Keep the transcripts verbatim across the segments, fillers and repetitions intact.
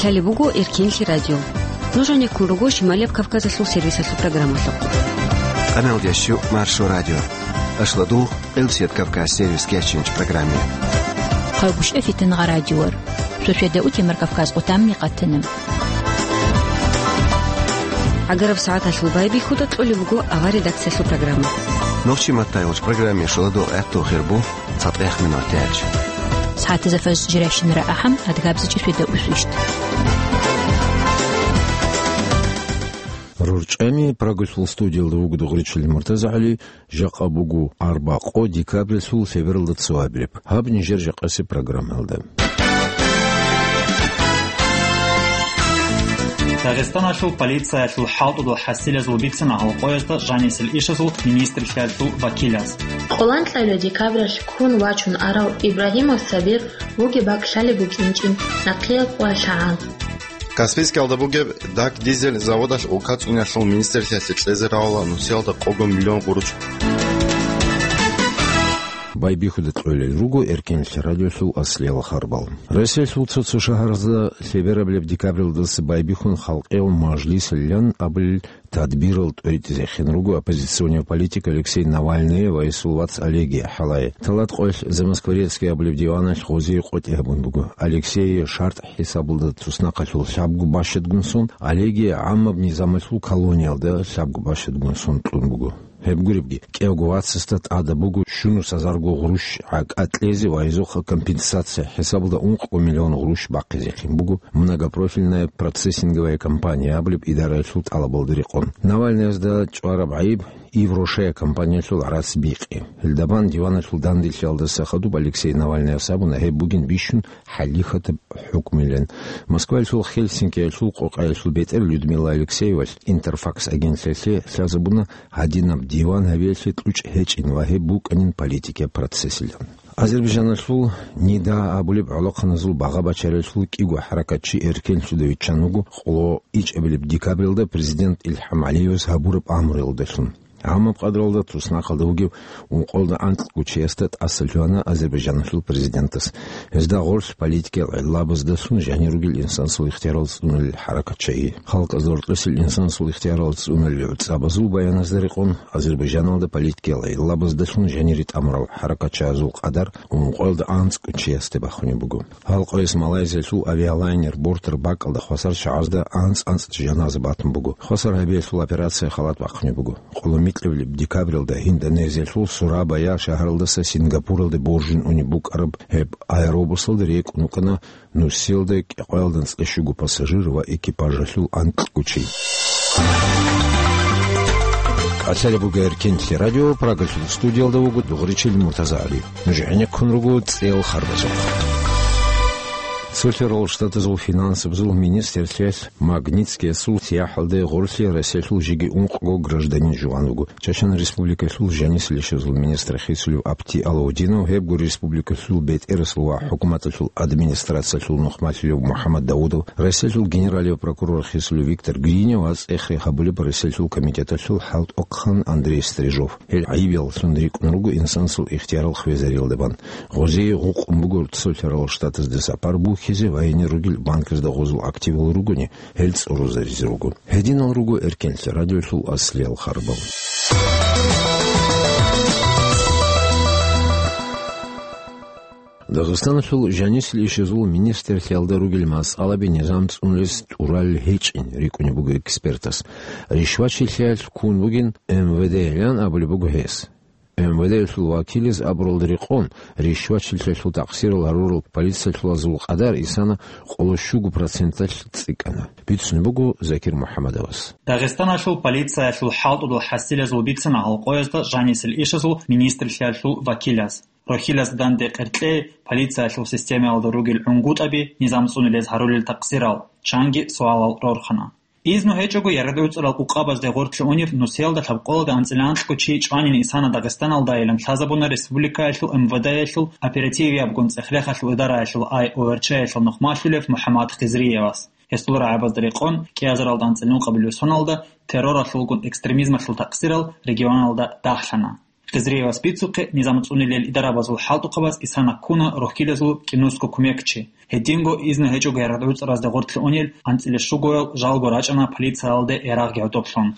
Лъалеб буго Эркенлъи радио. Нуж гьанеккун руго Шималияб Кавказалъул сервисалъул программалъухъ. Къаналдящу Маршо радио. Ашладул Элсет Кавказ сервис кечинч программе. Хъалгушев Фитнагъа радиор. Сосведа утемар Кавказ къутамни къатана. Агараб сагӀаталъул байбихьуда кьолеб буго авар редакциялъул программа. Нохчи маттайгъуч программе шуладул гӀехтул хирбу цатӀех минут тяч. СагӀатазда фаз жиращинара ахӀам, адгабзачи сосведа усвищт. РорчӀами Прагалъул студиялда вуго Дугъричил МуртазагӀали. Жакъа буго арбакъо декабрьалъул лъебералда цо абилеб. Гьаб нижер жакъасеб программалда. Дагъистаналъул полициялъул хӀалтӀудул хӀасилазул бицана гьалкъоязда жанисел ишазул министрлъиялъул вакилаз. Къолан кьабилеб декабралъ ккун вачун арав Ибрагьимов Сабир вугеб бакӀ лъалеб букӀинчӀин нахъе къвалъагӀан. Каспийскалда бугеб Дак дизель заводалъ улкацӀуниялъул министрлъиялъе кьезе равала нусиялда къого миллион гъуруч. Байбихьуда кьолел руго Эркенлъи радиолъул аслиял харбал. Россиялъул цо-цо шагьаразда лъеберабилеб декабралдаса байбихьун халкъиял мажлисилан абулел тадбирал тӀоритӀизехин руго оппозиционный политик Алексей Навальный ва гьесул вац Олег ХӀалай. Талат къоялъ Замоскворецкий абулеб диваналъ гъозие къотӀи гьабун буго. Алексей шартӀ хӀисабалда туснахъалъул лъабго бащадгун сон, Олеги гӀаммаб низамалъул колониялда лъабго бащадгун сон кьун буго. Гьеб гуребги, кӀиявго вацасда тӀада буго щунус азарго гъруш гӀакӀа кьезе ва гьезухъа компенсация хӀисабалда ункъго миллион гъруш бахъизехин буго многопрофильная процессинговая компания абулеб идараялъул тӀалабалда рекъон. Навальныязда чӀвараб гӀайиб Ив Рошея компаниялъул гӀарац бикъи. Гьелдабан диваналъул данделъиялдаса хадуб Алексей Навальныяс абуна гьеб бугин бищун хӀалихьатаб хӀукмилан. Москваялъул Хельсинкиялъул къокъаялъул бетӀер Людмила Алексеевалъ Интерфакс агентлъиялъе лъазабуна гьадинаб диван гьабиялъе кьучӀ гьечӀин ва гьеб букӀанин политикияб процессилан. Азербайджаналъул НИДА абулеб гӀолохъаназул багъа-бачариялъул кӀиго хӀаракатчи эркенлъуда виччан вуго къоло ичӀабилеб декабралда президент ИлхӀам ГӀалиевас гьабураб амруялдалъун. Гьамаб къадралда туснахъалда вугев ункъоялда анкьго чиясда тӀаса лъугьана Азербайджаналъул президентас. Гьезда гъорлъ политикиял гӀиллабаздалъун жанир ругел инсансул ихтиярал цӀунулел хӀаракатчагьи. Халкъазда гьоркьосел инсансул ихтиярал цӀунулел гӀуцӀабазул баяназда рекъон, Азербайджаналда политикиял гӀиллабаздалъун жанире тӀамурал хӀаракатчагьазул къадар ункъоялда анцӀго чиясде бахунеб буго. Гьал къояс Малайзиялъул авиалайнер бортар бакӀалда хвасар чагӀазда анцӀ-анцӀ жаназа батун буго. Хвасар гьабиялъул операция халат бахъунеб буго. Къоло микьабилеб декабралда Индонезиялъул Сурабая шагьаралдаса Сингапуралде боржун унеб букӀараб гьеб аэробусалда рекӀун вукӀана нусиялда кӀикъоялда анцӀила щуго пассажир ва экипажалъул анкьго чи. КӀалъалеб буго Эркенлъи радио, Прагалъул студиялда вуго Дугъричил МуртазагӀали. Нуж гӀенеккун руго цӀел харбазухъ. Цолъарал Штатазул финансабазул министрлъиялъ Магнитскиясул сияхӀалде гъорлъе Россиялъул жеги ункъго гражданин жуван вуго. Чачан Республикалъул жанисел ишазул министр хисулев Апти Алаудинов, гьебго республикалъул бетӀерасул ва хӀукуматалъул администрациялъул нухмалъулев МухӀаммад Даудов, Россиялъул генералияв прокурор хисулев Виктор Гринев ва цӀех рехабулеб Россиялъул комитеталъул хӀалтӀухъан Андрей Стрижов. Гьел гӀайибияллъун рикӀкӀун руго инсансул ихтиярал хвезариялда бан. Гъозие гъукъун буго Цолъарал Штатазда сапар бухьизе ва гьенир ругел банказда гъозул активал ругони, гьел цӀорозаризе руго. Гьединал руго Эркенлъи радиолъул аслиял харбал. Дагъистаналъул жанисел ишазул министрлъиялда ругел масъалаби низам цӀунулес тӀуралел гьечӀин рикӀкӀунеб буго экспертас. Ришвачилъиялъ ккун бугин М В Д-ян абулеб буго гьес. М В Д-ялъул вакилаз абуралда рекъон, ришвачилъиялъул такъсирал гьарурал полициялъулазул къадар исана къоло щуго проценталъ цӀикӀкӀана. Бицунеб буго Закир МухӀаммадовас. Дагъистаналъул полициялъул хӀалтӀудул хӀасилазул бицана гьалкъоязда жанисел ишазул министрлъиялъул вакилаз. Рохьилазда данде къеркьей, полициялъул системаялда ругел гӀунгутӀаби, низам цӀунулез гьарулел такъсирал, чанги суалал рорхана. Изну гьечӀого ярагӀуцӀарал къукъабазде гъорлъе унев нусиялда лъабкъоялда анцӀила анкьго чи чӀванин исана Дагъистаналдайилан лъазабуна республикаялъул М В Д-ялъул оперативиябгун цӀех-рехалъул идараялъул ай О Р Ч-ялъул нухмалъулев МухӀаммад Хизриевас. Гьесул рагӀабазда рекъон, кӀиазаралда анцӀила ункъабилеб соналда терроралъулгун экстремизмалъул такъсирал регионалда дагьлъана. Хизриевас бицухъе, низам цӀунилел идарабазул хӀалтӀухъабаз Исана ккуна рохьилазул кӀинусго кумекчи. Гьединго изну гьечӀого ярагъ-гӀуцӀаразде гъоркье унел анцӀила щугоял жалго рачӀана полициялде ярагъги гӀодоблъун.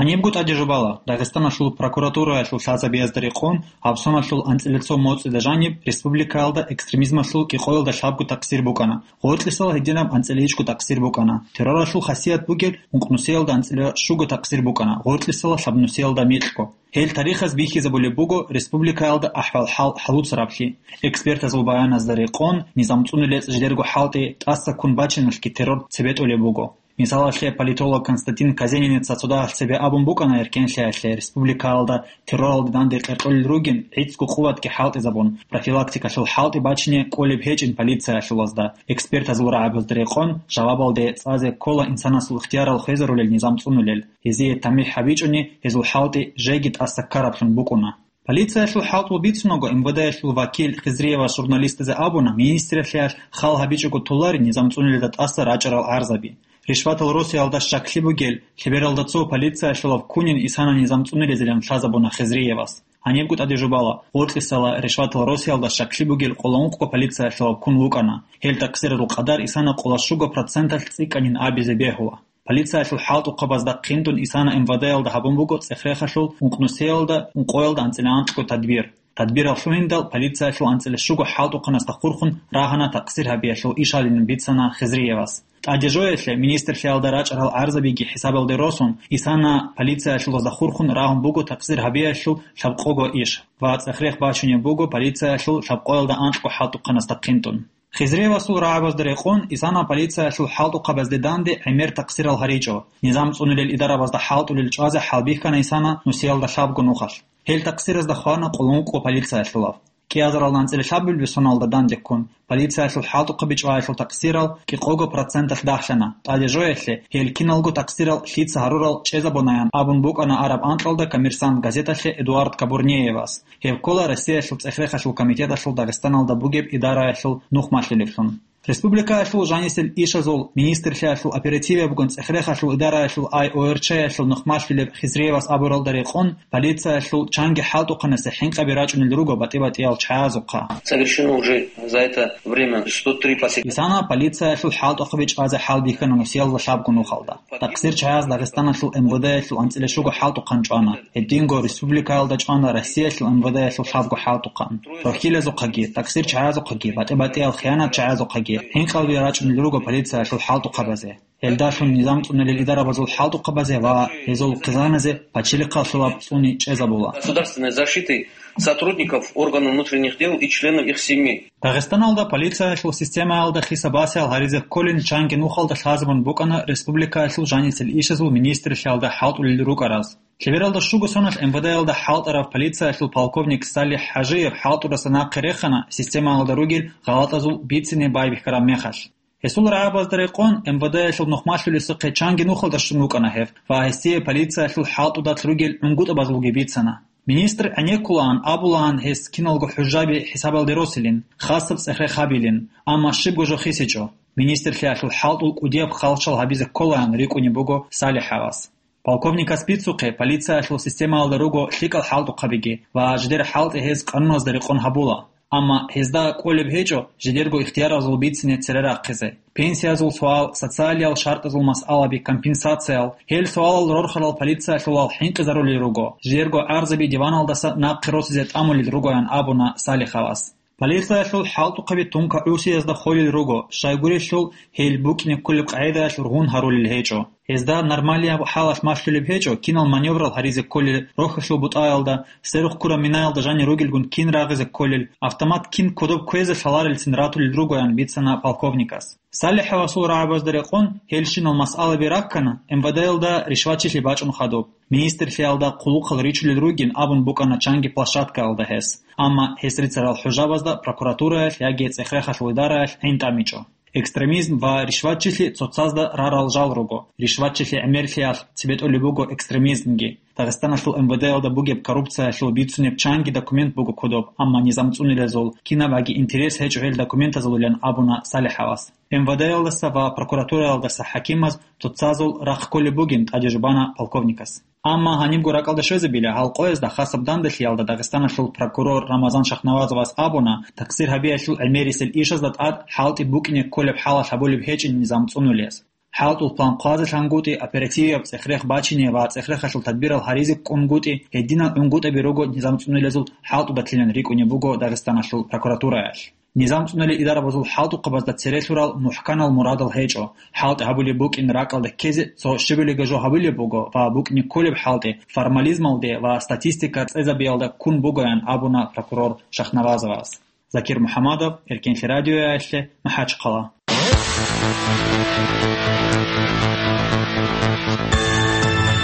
Гьанибго тӀаде жубала, Дагъистаналъул прокуратураялъул лъазабиязда рекъон, гьабсоналъул анцӀила цо моцӀида жаниб республикаялда экстремизмалъул кӀикъоялда лъабго такъсир букӀана, гъоркьисала гьединаб анцӀила ичӀго такъсир букӀана, терроралъул хасият бугел ункънусиялда анцӀила щуго такъсир букӀана, гъоркьисала лъабнусиялда микьго. Гьел тарихаз бихьизабулеб буго республикаялда ахӀвал-хӀал хӀалуцараблъи. Экспертазул баяназда рекъон, низам цӀунилел жидерго хӀалтӀи тӀаса ккун бачиналъги террор цебетӀулеб буго. Мисалалъе, политолог Константин Казениница цо дагьалъ цебе абун букӀана, эркенлъиялъе республикаялда терроралде данде къеркьулел ругин, гӀицӀго къуватги хӀалтӀизабун, профилактикалъул хӀалтӀи бачине кӀолеб гьечӀин полициялъулазда. Экспертазул рагӀабазда рекъон, жавабалде цӀазе ккола инсанасул ихтиярал хвезарулел низам цӀунулел. Гьезие тамихӀ гьабичӀони, гьезул хӀалтӀи жеги тӀаса ккараблъун букӀуна. Полициялъул хӀалтӀул бицунаго, МВД-ялъул вакил Хизриевас журналистазе абуна, министралъиялъ хал гьабичӀого толари низам цӀунилелда тӀаса рачӀарал гӀарзаби. Ришватал росиялда щаклъи бугел лъебералда цо полициялъулав ккунин Исана низам цӀунилезилан лъазабуна Хизриевас. Гьанибго тӀаде жубала, гъоркьисала ришватал росиялда щаклъи бугел къоло ункъго полициялъулав ккун вукӀана. Гьел такъсирарул къадар Исана къоло щуго проценталъ цӀикӀкӀанин абизе бегьула. Полициялъул хӀалтӀухъабазда хъинтӀун Исана МВД-ялда гьабун буго цӀехрехалъул ункънусиялда, ункъоялда анцӀила анкьго тадбир. Тадбирал лъугьиндал полициялъул анцӀила щуго хӀалтӀухъанасда хурхун рагьана такъсир гьабиялъул ишалин бицана Хизриевас. ТӀаде жоялъе, министрлъиялда рачӀарал гӀарзабиги хӀисабалде росун, Исана полициялъулазда хурхун рагьун буго такъсир гьабиялъул лъабкъого иш ва цӀехрех бачунеб буго полициялъул лъабкъоялда анкьго хӀалтӀухъанасда хъинтӀун. Хизриевасул рагӀабазда рекъон, Исана полициялъул хӀалтӀухъабазде данде гӀемер такъсирал гьаричӀо. Низам цӀунилел идарабазда хӀалтӀулел чӀвазе хӀалбихьана Исана нусиялда лъабго нухалъ. Гьел такъсиразда хвана къулункъго полициялъулав. КӀиазарал анцӀила лъабабилеб соналда дандеккун, полициялъул хӀалтӀухъаби чӀваялъул такъсирал кӀикъого проценталъ дагьлъана. ТӀаде жоялъе, гьел киналго такъсирал лъица гьарурал чӀезабунаян абун букӀана араб анкьалда «Коммерсант» газеталъе Эдуард Кабурнеевас. Гьеб ккола Россиялъул цӀехрехалъул комитеталъул Дагъистаналда бугеб идараялъул нухмалъулеблъун. Республикаялъул жанисел ишазул министрлъиялъул оперативиябгун цӀехрехалъул идараялъул ай о эр чаялъул нухмалъулеб Хизриевас абуралда рекъон, полициялъул чанги хӀалтӀухъанасе хӀинкъаби рачӀунел руго батӀи-батӀиял чагӀазухъа. Совершено уже за это время сто три посещения. Исана полициялъул хӀалтӀухъаби чӀвазе хӀалбихьана нусиялда лъабго нухалда. Такъсир чагӀаз Дагъистаналъул МВД-ялъул анцӀила щуго хӀалтӀухъан чӀвана. Гьединго республикаялда чӀвана Россиялъул МВД-ялъул лъабго хӀалтӀухъан. Рохьилазухъаги, такъсир чагӀазухъаги, батӀи-батӀиял хиянат чагӀазухъаги хӀинкъалби рачӀунел руго полициялъул хӀалтӀухъабазе. Гьелдалъун низам цӀунилел идарабазул хӀалтӀухъабазе ва гьезул хъизаназе пачалихъалъулаб цӀуни чӀезабула. Государственной защиты сотрудников органов внутренних дел и членов их семей. Дагъистаналда полициялъул системаялда хисабасиял гьаризе кколин чанги нухалда лъазабун букӀана республикаялъул жанисел ишазул министрлъиялда хӀалтӀулел рукӀараз. Лъебералда щуго соналъ МВД-ялда хӀалтӀарав полициялъул полковник Салих ХӀажиев хӀалтӀураса нахъе рехана системаялда ругел гъалатӀазул бицине байбихьараб мехалъ. Гьесул рагӀабазда рекъон, МВД-ялъул нухмалъулесухъе чанги нухалда щун вукӀана гьев ва гьесие полициялъул хӀалтӀудалъ ругел гӀунгутӀабазулги бицана. Министр гӀенеккулаан абулаан гьес киналго хӀужаби хӀисабалде росилин, хасаб цӀехрехабилин, амма щибго жо хисичӀо. Министрлъиялъул хӀалтӀул кӀудияб халчал гьабизе кколаан рикӀкӀунеб буго СалихӀавас. Полковникас бицухъе, полициялъул системаялда руго лъикӀал хӀалтӀухъабиги ва жидер хӀалтӀи гьез къануназда рекъон гьабула. Амма гьезда кӀолеб гьечӀо жидерго ихтияразул бицине цере рахъизе. Пенсиязул суал, социалиял шартӀазул масъалаби, компенсациял, гьел суалал рорхарал полициялъулал хӀинкъизарулел руго, жидерго гӀарзаби диваналдаса нахъе росизе тӀамулел ругоян абуна СалихӀавас. Полициялъул хӀалтӀухъаби тункагӀусиязда холел руго, щайгурелъул гьел букӀине кколеб къагӀидаялъ ругьун гьарулел гьечӀо. Гьезда нормалияб хӀалалъ малъулеб гьечӀо, кинал маневрал гьаризе кколел, рохьулъул бутӀаялда, сверухъ ккураб минаялда жанир ругелгун кин рагъизе кколел, автомат кин кодоб кквезе лъаларелцин ратулел ругоян бицана полковникас. СалихӀавасул рагӀабазда рекъон гьелщинал масъалаби раккана, МВД-ялда ришватчилъи бачӀун хадуб. Министрлъиялда хъулухъал ричулел ругин абун букӀана чанги площадкаялда гьес. Амма гьес рицарал хӀужабазда прокуратураялъ яги цӀехрехалъул идараялъ гӀин тӀамичӀо. Экстремизм ва ришватчилъи цоцазда рарал жал руго. Ришватчилъи гӀемерлъиялъ цебетӀулеб буго экстремизмги. Дагъистаналъул МВД-ялда бугеб коррупциялъул бицунеб чанги документ буго кодоб, амма низам цӀунилазул кинабаги интерес гьечӀо гьел документазулилан абуна СалихӀавас. МВД-ялдаса ва прокуратураялдаса хӀакимаз цоцазул рахъ кколеб бугин тӀаде жубана полковникас. Амма гьанибго ракӀалда щвезабила, гьал къоязда хасаб данделъиялда Дагъистаналъул прокурор Рамазан Шахнавазовас абуна, такъсир гьабиялъул гӀемерисел ишазда тӀад хӀалтӀи букӀине кколеб хӀалалъ гьабулеб гьечӀин низам цӀунулес. ХӀалтӀул план хъвазе лъангутӀи, оперативияб цӀехрех бачине ва цӀехрехалъул тадбирал гьаризе ккунгутӀи, гьединал гӀунгутӀаби руго низам цӀунулезул хӀалтӀудалъилан рикӀкӀунеб буго Дагъистаналъул прокуратураялъ. Низам цӀунулел идарабазул хӀалтӀухъабазда цере лъурал мухӀканал мурадал гьечӀо. ХӀалтӀи гьабулеб букӀин ракӀалда ккезе цо щибилиги жо гьабулеб буго ва букӀине кколеб хӀалтӀи формализмалде ва статистика цӀезабиялда ккун бугоян абуна прокурор Шахнавазовас. Закир МухӀаммадов, Эркенлъи радиоялъе, МахӀачхъала.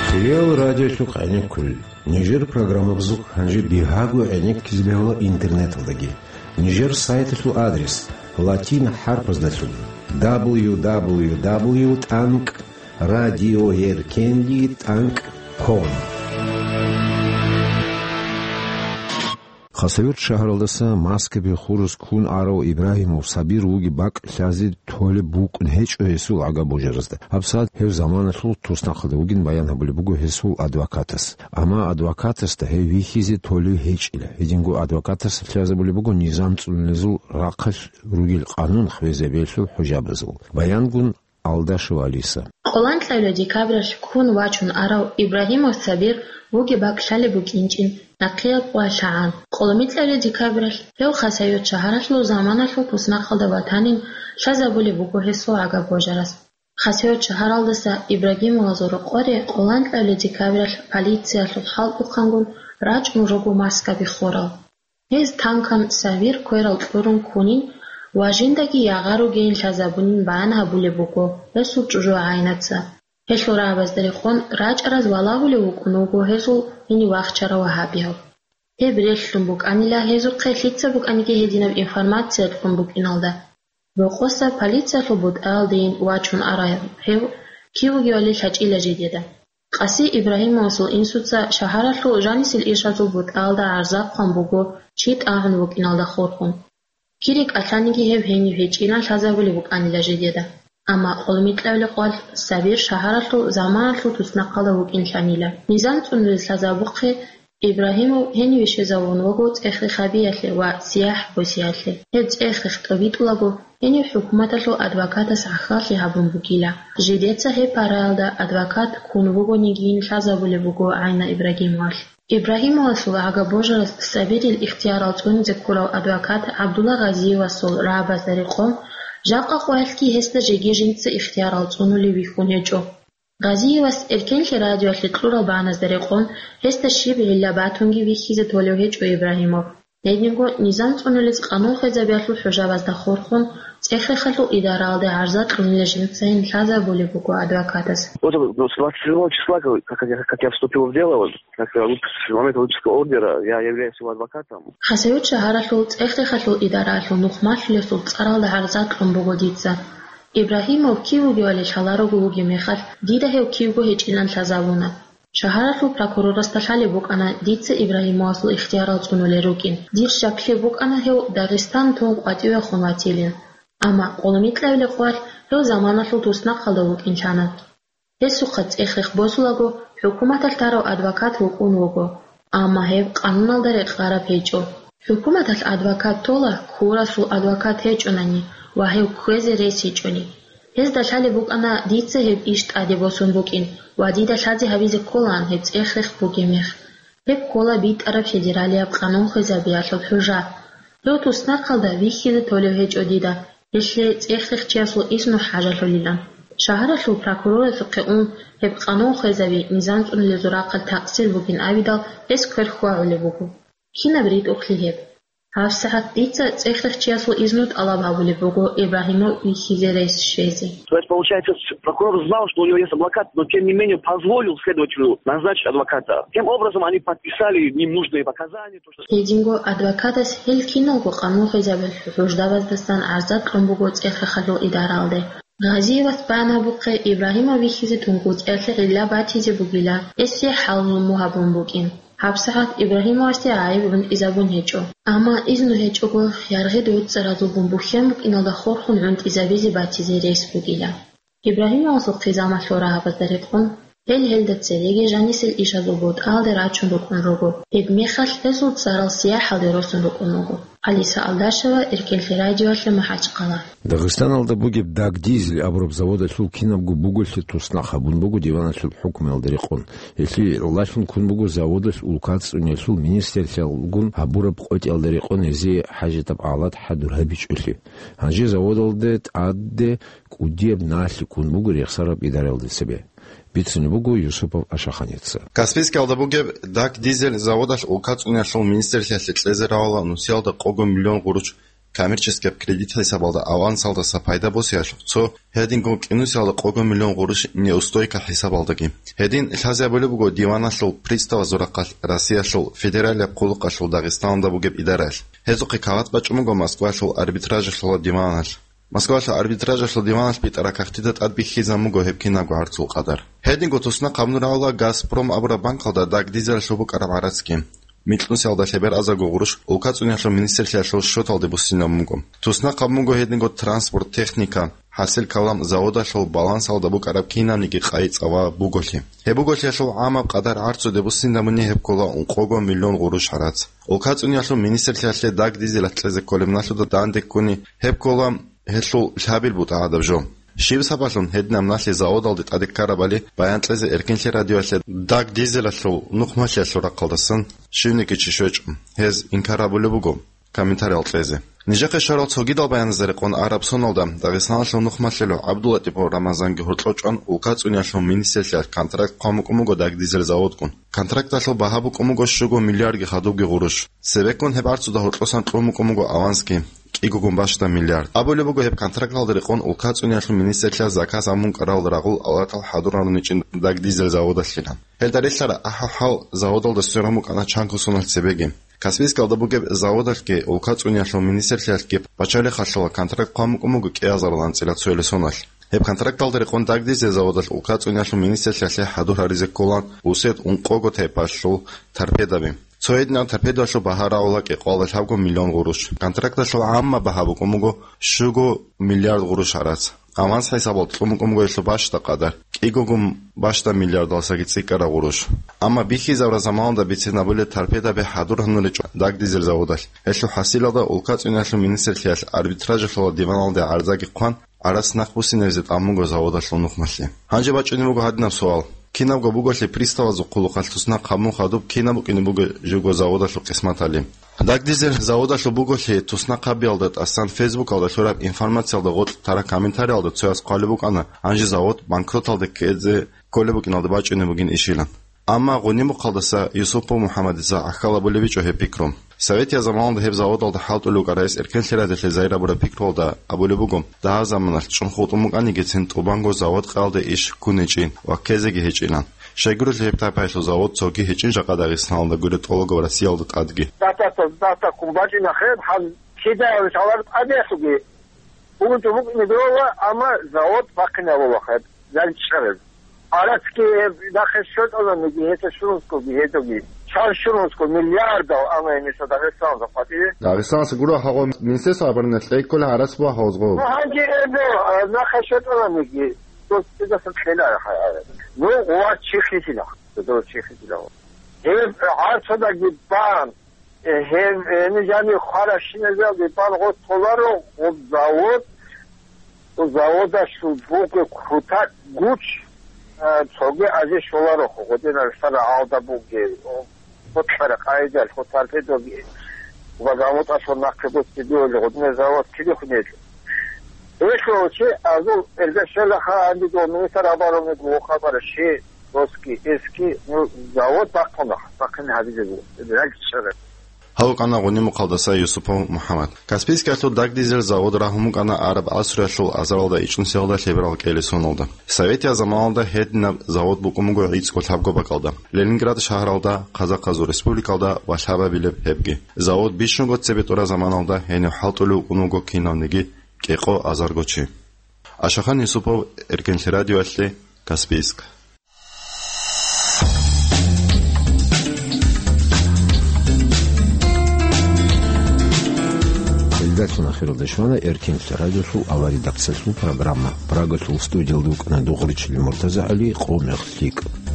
Кириял радиолъухъ гӀенеккулел. Нижер программабазухъ гьанже бигьаго гӀенеккизе бегьула интернеталдаги. Нижер сайталъул адрес латин хӀарпаздалъун: дабл ю дабл ю дабл ю тӀанкӀ радиоеркенли тӀанкӀ ком. Хасавюрт шагьаралдаса Маскаби хурус ккун арав Ибрагьимов Сабир вугеб бакӀ лъазе толеб букӀун гьечӀо гьесул агабожаразда. ГьабсагӀат гьев заманалъул туснахъалда вугин баян гьабулеб буго гьесул адвокатас. Амма адвокатасда гьев вихьизе толев гьечӀила. Гьединго адвокатас лъазабулеб буго низам цӀунулезул рахъалъ ругел къанун хвезабиялъул хӀужабазул. Баянгун Алдашев Алиса. Къоланкьабилеб декабралъ ккун вачун арав Ибрагьимов Сабир вугеб бакӀ лъалеб букӀинчӀин нахъеяб къвалъагӀан. Къоломикьабилеб декабралъ гьев Хасавюрт шагьаралъул заманалъул туснахъалда ватанин лъазабулеб буго гьесул агабожарас. Хасавюрт шагьаралдаса Ибрагьимовазул рокъоре къоланкьабилеб декабралъ полициялъул хӀалтӀухъангун рачӀун руго Маскаби хурал. Гьез танкан Сабир кверал кьурун ккунин ва жиндаги ягъа ругейин лъазабунин баян гьабулеб буго гьесул чӀужугӀаинаца. Гьелъул рагӀабазда рекъон рачӀараз валагьулев вукӀун вуго гьезул гьенив вахчарав вагьабияв. Гьеб релълъун букӀанила гьезухъе лъица букӀаниги гьединаб информация кьун букӀиналда. Рокъоса полициялъул бутӀаялдейин вачун арав гьев кив вугевали лъачӀила жидеда. Къаси Ибрагьимовасул инсуца шагьаралъул жанисел ишазул бутӀаялда гӀарза хъван буго чи тӀагӀун вукӀиналда хурхун. Кири кӀалъаниги гьев гьенив гьечӀилан лъазабулеб букӀанила жидеда. Амма къолмикьабилеб къвалъ Сабир шагьаралъул заманалъул туснахъалда вукӀин лъанила. Низам цӀунулел лъазабухъе Ибрагьимов гьениве щвезавун вуго цӀех-рехабиялъе ва сияхӀ босиялъе. Гьеб цӀех-рех тӀобитӀулаго, гьенив хӀукуматалъул адвокатас гӀахьаллъи гьабун бугила. Жидеца гьеб параялда адвокат ккун вугонигийин лъазабулеб буго ГӀайна Ибрагьимовалъ. Ибрагьимовасул агабожарас Сабирил ихтиярал цӀунизе ккурав адвокат ГӀабдулла Гъазиевасул рагӀабазда рекъон, жакъа къоялъги гьесда жеги жинца ихтиярал цӀунулев вихьун гьечӀо. Гъазиевас Эркенлъи радиоялъе кьурал багьаназда рекъон, гьесда щиб гӀилла батунги вихьизе толев гьечӀо Ибрагьимов. Гьединго низам цӀунулез къанун хвезабиялъул хӀужабазда хурхун, цӀех-рехалъул идараялде гӀарза кьунила жинцайин лъазабулеб буго адвокатас. Вот, вот с двадцать седьмого числа, как, как я, как я вступил в дело, вот, как я выпис-, с момента выписки ордера, я являюсь его адвокатом. Хасавюрт шагьаралъул цӀех-рехалъул идараялъул нухмалъулесул цӀаралда гӀарза кьун буго дица. Ибрагьимов кив вугевали лъаларого вугеб мехалъ, дида гьев кивго гьечӀилан лъазабуна. Шагьаралъул прокурорасда лъалеб букӀана дица Ибрагьимовасул ихтиярал цӀунулел рукӀин. Дир щаклъи букӀана гьев Дагъистан тун къватӀивехун ватилин. Амма къолмикьабилеб къвалъ гьев заманалъул туснахъалда вукӀин лъана. Гьесухъа цӀех-рех босулаго, хӀукуматалъ тарав адвокат вукӀун вуго, амма гьеб къануналда рекъараб гьечӀо. ХӀукуматалъ адвокат тола, ккурасул адвокат гьечӀонани ва гьев кквезе рес гьечӀони. Гьезда лъалеб букӀана дица гьеб иш тӀаде босун букӀин ва дида лъазе гьабизе кколаан гьеб цӀех-рех бугеб мех. Гьеб ккола битӀараб федералияб къанун хвезабиялъул хӀужа. Гьев туснахъалда вихьизе толев гьечӀо дида, гьелъие цӀех-рехчиясул изну хӀажалъулилан. Шагьаралъул прокурорасухъе ун, гьеб къанун хвезаби низам цӀунулезул рахъалъ такъсир бугин абидал, гьес квер хьвагӀулеб буго. Кинаб ритӀухълъи гьеб? ГьабсагӀат дица цӀех-рехчиясул изну тӀалаб гьабулеб буго Ибрагьимов вихьизе рес щвезе. То есть, получается, с-, прокурор знал, что у него есть адвокат, но тем не менее позволил следователю назначить адвоката. Тем образом, они подписали ненужные показания, то, что... Гьединго адвокатас гьел киналго къанун хвезабиялъул хӀуждабаздасан гӀарза кьун буго цӀех-рехалъул идараялде. Гъазиевас баян гьабухъе, Ибрагьимов вихьизе тункӀуцӀиялъе гӀилла батизе бугила, гьесие хӀал-зулму гьабун букӀин. ГьабсагӀат Ибрагьимовасде гӀайиб гӀунтӀизабун гьечӀо. Амма изну гьечӀого, яргъи дугӀуцӀаразулгун бухьен букӀиналда хурхун гӀунтӀизабизе батизе рес бугила. Ибрагьимовасул хъизамалъул рагӀабазда рекъон, Гьел гьелда цереги жанисел ишазул бутӀалде рачун рукӀун руго. Гьебмехалъ гьезул цӀарал сияхӀалде росун рукӀун руго. Алиса Алдашева, Эркенлъи радиоялъе, МахӀачхъала. Дагъистаналда бугеб Дагдизель абураб заводалъул кинабго буголъи туснахъ гьабун буго диваналъул хӀукмуялда рекъон. Гьелъие гӀолалъун ккун буго заводалъ улкацӀцӀуниялъул министрлъиялгун гьабураб къотӀиялда рекъон гьезие хӀажатаб гӀалат хӀадур гьабичӀолъи. Гьанже заводалде тӀаде кӀудияб налъи ккун буго рехсараб идараялда цебе. Бицунеб буго Юсупов Ашаханица. Каспийскиялда бугеб Дагдизель заводалъ улкацӀуниялъул министрлъиялъе кьезе равала нусиялда къого миллион гъурущ коммерческияб кредит хӀисабалда авансалдаса пайда босиялъухъ цо, гьединго кӀинусиялда къого миллион гъурущ неустойка хӀисабалдаги. Гьедин лъазе абулеб буго диваналъул приставазул рахъалъ Россиялъул федералияб хъулухъалъул Дагъистаналда бугеб идараялъ. Гьезухъе кават бачӀун буго Москвалъул арбитражалъула диваналъ. Москвалъул арбитражалъул диваналъ битӀараб кагътида тӀад бихьизабун буго гьеб кинабго гӀарцул къадар. Гьединго туснахъ гьабун рагӀула «Газпром» абураб банкалда Дагдизелалъул букӀараб гӀарацги. Микьнусиялда лъебераб азарго гъурущ улкацӀуниялъул министрлъиялъул счеталде буссинабун буго. Туснахъ гьабун буго гьединго транспорт, техника, хӀасил калам, заводалъул балансалда букӀараб кинабниги къайи-цӀава буголъи. Гьеб буголъиялъул гӀамаб къадар гӀарцуде буссинабуни гьеб ккола ункъого миллион гъурущ гӀарац. УлкацӀуниялъул министрлъиялъе Дагдизелалъ кьезе кколеб налъуда данде ккуни гьеб ккола гьелъул лъабил бутӀа гӀадаб жо. Щиб сабаблъун гьединаб налъи заводалде тӀаде ккарабали баян кьезе Эркенлъи радиоялъе Дагдизелалъул нухмалъиялъул рахъалдасан щивниги чи щвечӀо. Гьез инкар гьабулеб буго комментариял кьезе. Нижехъе щварал цогидал баяназда рекъон араб соналда Дагъистаналъул нухмалъулев ГӀабдуллатӀипов Рамазанги гьоркьов чӀван улкацӀуниялъул министрлъиялъ контракт хъван букӀун буго Дагдизель заводгун. Контракталъул багьа букӀун буго щуго миллиардги хадубги гъурущ. Цебеккун гьеб гӀарцуда гьоркьосан кьун букӀун буго авансги, кӀигогун бащда миллиард. Абулеб буго гьеб контракталда рекъон улкацӀуниялъул министрлъиялъ заказ гьабун кӀарал рагъул алатал хӀадур гьаруничӀин Дагдизель заводалъила. Гьелда релълъараб ахӀи-хӀал заводалда сверун букӀана чанго соналъ цебеги. Каспийскалда бугеб заводалъги улкацӀуниялъул министрлъиялъги пачалихъалъула контракт хъван букӀун буго кӀиазарал анцӀила цоялъ соналъ. Гьеб контракталда рекъон Дагдизель заводалъ улкацӀуниялъул министрлъиялъе хӀадур гьаризе кколан усед ункъого тайпалъул торпедаби. Цо гьединаб торпедалъул багьа рагӀула кӀикъоялда лъабго миллион гъурущ. Контракталъул гӀаммаб багьа букӀун буго щуго миллиард гъурущ гӀарац. Аванс хӀисабалда кьун букӀун буго гьелъул бащда къадар, кӀигогун бащда миллиардалдасаги цӀикӀкӀараб гъурущ. Амма бихьизабураб заманалда бицин абулеб торпедаби хӀадур гьануричӀо Дагдизель заводалъ. Гьелъул хӀасилалда улкацӀуниялъул министрлъиялъ арбитражалъула диваналде гӀарзаги хъван, гӀарац нахъ буссинабизе тӀамун буго заводалъул нухмалъи. Гьанже бачӀунеб буго гьадинаб суал. Кинабго буголъи приставазул хъулухъалъ туснахъ гьабун хадуб кинаб букӀине буго живго заводалъул къисматали? Дагдизель заводалъул буголъи туснахъ гьабиялда тӀасан Фейсбукалда лъураб информациялда гъоркь тараб комментариялда цояс хъвалеб букӀана, гьанже завод банкроталде ккезе кколеб букӀиналда бачӀунеб бугин ишилан. Амма Гъунимухъалдаса Юсупов МухӀаммадица гӀахьал абулеб гьечӀо гьеб пикру. Советияб заманалда гьеб заводалда хӀалтӀулев вукӀарав гьес Эркенлъи радиоялъе загьир гьабураб пикруялда абулеб буго, дагьаб заманалъ чӀун хутӀун букӀанигицин тӀубанго завод къаялде иш ккун гьечӀин ва ккезеги гьечӀилан. Щайгурелъул гьеб тайпаялъул завод цоги гьечӀин жакъа Дагъистаналда гуреб тӀолабго ва Россиялда тӀадги. Датата, дата ккун бачӀина хеб, гьаб кидаялъ гьалар тӀадеялъуги. Унту букӀине дола, амма завод бахъине абула хеб, занчӀараб. Гьарацги гьеб нахъе щвечӀонаниги, гьесда щунусгоги гьедоги. Чан щунусго миллиардал, амма гьениса Дагъистаналда къватӀиве. Дагъистаналъ гуро гьагъо Министерство обороны кьейккола гьарац буа гьавзгъо. Ну, гьанже гьеб, э, нахъе щвечӀонаниги, дос цидасан кьела гьа-, ну, гъуват чи хисила, дос чи хисила. Гьеб гӀарцадаги бан, Э, гьеб, гьениб жаниб хваращиназалде балгъо толаро гъоб завод, гъоб заводалъул буго кутак гуч, а, цоги азе щоларо, гъодинал сара гьалда буге, о, ботлъара къайдал, хотар педоги, ва заводалъул нахъе буци биоли, гъодинал завод кири хунел. Эшло чи азул эргашелаха анди до министр обороны гуо хабар ши, доски, эски, ну, завод бахъуна, бахъин гьабизе гу, рагчара. Гьав вукӀана Гъунимухъалдаса Юсупов МухӀаммад. Каспийскиялъул дагдизель завод рагьун букӀана араб асруялъул азаралда ичӀнусиялда лъеберал кӀели соналда. Советияб заманалда гьединаб завод букӀун буго гӀицӀго лъабго бакӀалда, Ленинград шагьаралда, Хъазахъазул республикалда ва лъабабилеб гьебги. Завод бищунго цебетӀураб заманалда гьенив хӀалтӀулев вукӀун вуго кинавниги кӀикъо азарго чи. Ашахан Юсупов, Эркенлъи радиоялъе, Каспийск. Гьелдалъ Ахиралда щвана Эркенлъи радиолъул аваридахъцалъул программа. Прагалъул студиялда вукӀана Дугъричилин МуртазагӀали, Къо мех лъикӀ.